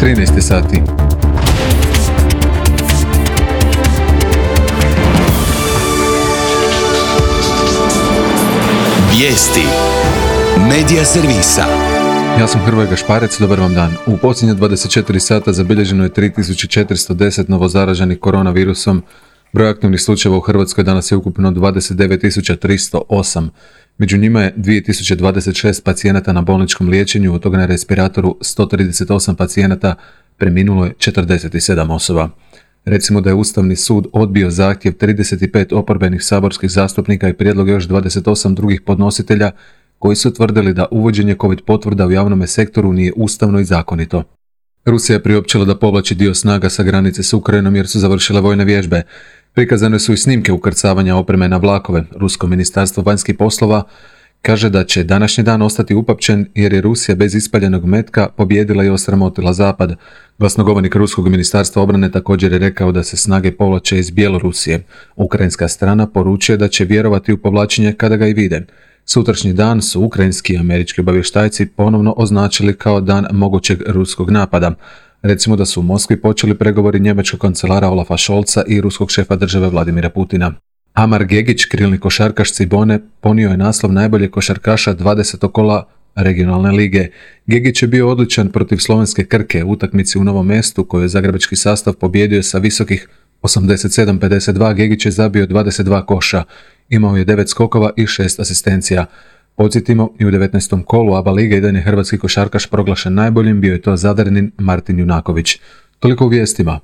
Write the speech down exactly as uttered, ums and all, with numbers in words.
trinaest sati. Vijesti Medija servisa. Ja sam Hrvoje Gašparec, dobar vam dan. U posljednje dvadeset četiri sata zabilježeno je tri tisuće četiristo deset novozaraženih koronavirusom. Broj aktivnih slučajeva u Hrvatskoj danas je ukupno dvadeset devet tisuća tristo osam. Među njima je dvije tisuće dvadeset šest pacijenata na bolničkom liječenju, od toga na respiratoru sto trideset osam pacijenata, preminulo je četrdeset sedam osoba. Recimo da je Ustavni sud odbio zahtjev trideset pet oporbenih saborskih zastupnika i prijedlog još dvadeset osam drugih podnositelja koji su tvrdili da uvođenje COVID potvrda u javnom sektoru nije ustavno i zakonito. Rusija je priopćila da povlači dio snaga sa granice s Ukrajinom jer su završile vojne vježbe. Prikazane su i snimke ukrcavanja opreme na vlakove. Rusko ministarstvo vanjskih poslova kaže da će današnji dan ostati upamćen jer je Rusija bez ispaljenog metka pobijedila i osramotila Zapad. Glasnogovornik Ruskog ministarstva obrane također je rekao da se snage povlače iz Bjelorusije. Ukrajinska strana poručuje da će vjerovati u povlačenje kada ga i vide. Sutrašnji dan su ukrajinski i američki obavještajci ponovno označili kao dan mogućeg ruskog napada. Recimo da su u Moskvi počeli pregovori njemačkog kancelara Olafa Scholza i ruskog šefa države Vladimira Putina. Amar Gegić, krilni košarkaš Cibone, ponio je naslov najboljeg košarkaša dvadesetog kola regionalne lige. Gegić je bio odličan protiv slovenske Krke u utakmici u Novom Mestu koju je zagrebački sastav pobijedio sa visokih osamdeset sedam pedeset dva. Gegić je zabio dvadeset dva koša, imao je devet skokova i šest asistencija. Podsjetimo, i u devetnaestom kolu A B A lige jedan je hrvatski košarkaš proglašen najboljim, bio je to Zadarnin Martin Junaković. Toliko u vijestima.